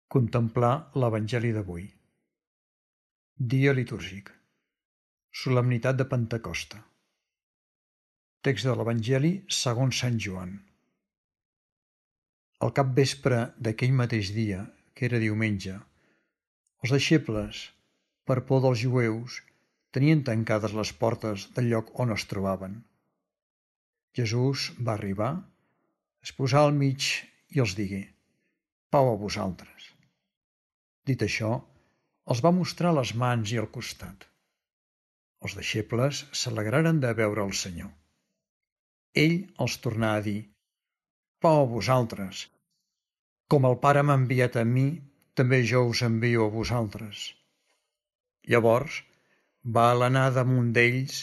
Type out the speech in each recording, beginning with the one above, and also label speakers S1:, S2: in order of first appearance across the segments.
S1: Contemplar l'Evangeli d'avui. Dia litúrgic. Solemnitat de Pentecosta. Text de l'Evangeli segons Sant Joan. Al capvespre d'aquell mateix dia, que era diumenge, els deixebles, per por dels jueus, tenien tancades les portes del lloc on es trobaven. Jesús va arribar, es posà al mig i els digué: «Pau a vosaltres». Dit això, els va mostrar les mans i el costat. Els deixebles s'alegraren de veure el Senyor. Ell els tornà a dir: «Pau a vosaltres. Com el Pare m'ha enviat a mi, també jo us envio a vosaltres». Llavors va alenar damunt d'ells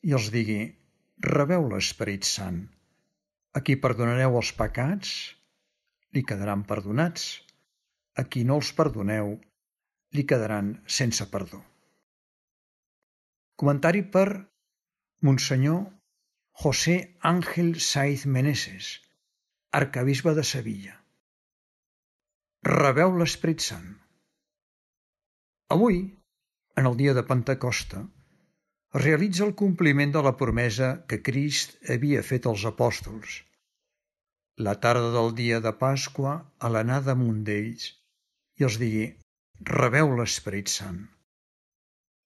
S1: i els digué: «Rebeu l'Esperit Sant. A qui perdonareu els pecats, li quedaran perdonats. A qui no els perdoneu, li quedaran sense perdó». Comentari per Monsenyor José Ángel Saiz Meneses, arquebisbe de Sevilla. Rebeu l'Esperit Sant. Avui, en el dia de Pentecosta, es realitza el compliment de la promesa que Crist havia fet als apòstols. La tarda del dia de Pasqua, alenà damunt d'ells i els digué: «Rebeu l'Esperit Sant».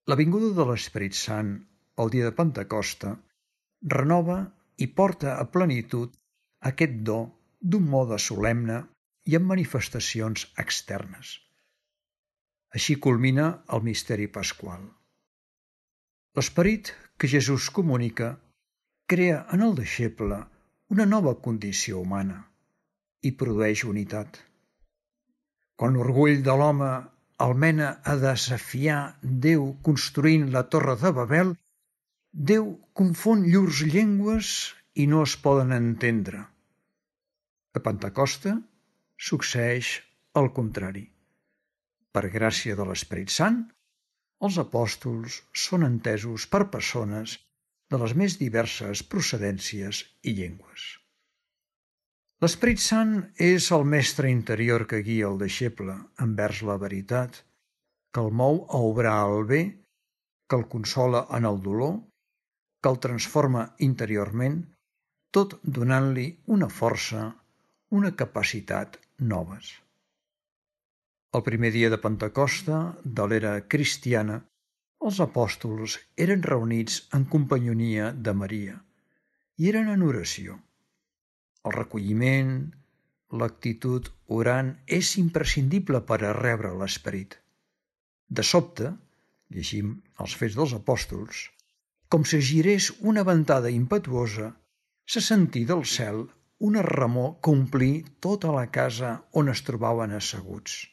S1: La vinguda de l'Esperit Sant, el dia de Pentecosta, renova i porta a plenitud aquest do d'un mode solemne i amb manifestacions externes. Així culmina el misteri pasqual. L'esperit que Jesús comunica crea en el deixeble una nova condició humana i produeix unitat. Quan l'orgull de l'home el mena a desafiar Déu construint la Torre de Babel, Déu confon llurs llengües i no es poden entendre. A Pentecosta succeeix el contrari. Per gràcia de l'Esperit Sant, els apòstols són entesos per persones de les més diverses procedències i llengües. L'Esperit Sant és el mestre interior que guia el deixeble envers la veritat, que el mou a obrar el bé, que el consola en el dolor, que el transforma interiorment, tot donant-li una força, una capacitat noves. El primer dia de Pentecosta de l'era cristiana, els apòstols eren reunits en companyonia de Maria i eren en oració. El recolliment, l'actitud orant és imprescindible per a rebre l'Esperit. De sobte, llegim els Fets dels Apòstols, com si girés una ventada impetuosa, se sentí del cel una remor que omplí tota la casa on es trobaven asseguts.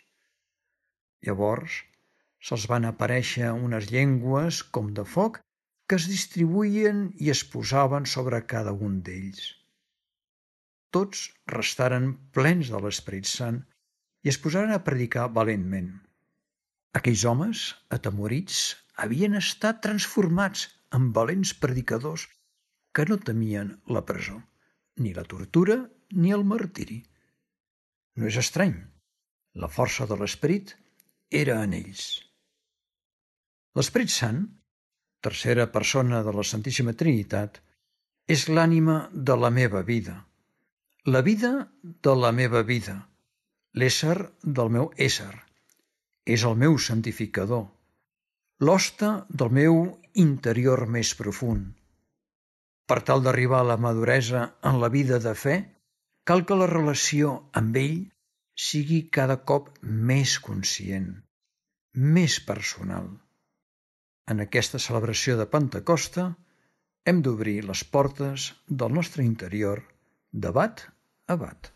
S1: Llavors se'ls van aparèixer unes llengües com de foc que es distribuïen i es posaven sobre cada un d'ells. Tots restaren plens de l'Esperit Sant i es posaren a predicar valentment. Aquells homes, atemorits, havien estat transformats en valents predicadors que no temien la presó, ni la tortura ni el martiri. No és estrany, la força de l'Esperit era en ells. L'Esperit Sant, tercera persona de la Santíssima Trinitat, és l'ànima de la meva vida, la vida de la meva vida, l'ésser del meu ésser, és el meu santificador, l'hoste del meu interior més profund. Per tal d'arribar a la maduresa en la vida de fe, cal que la relació amb ell sigui cada cop més conscient, més personal. En aquesta celebració de Pentecosta hem d'obrir les portes del nostre interior de bat a bat.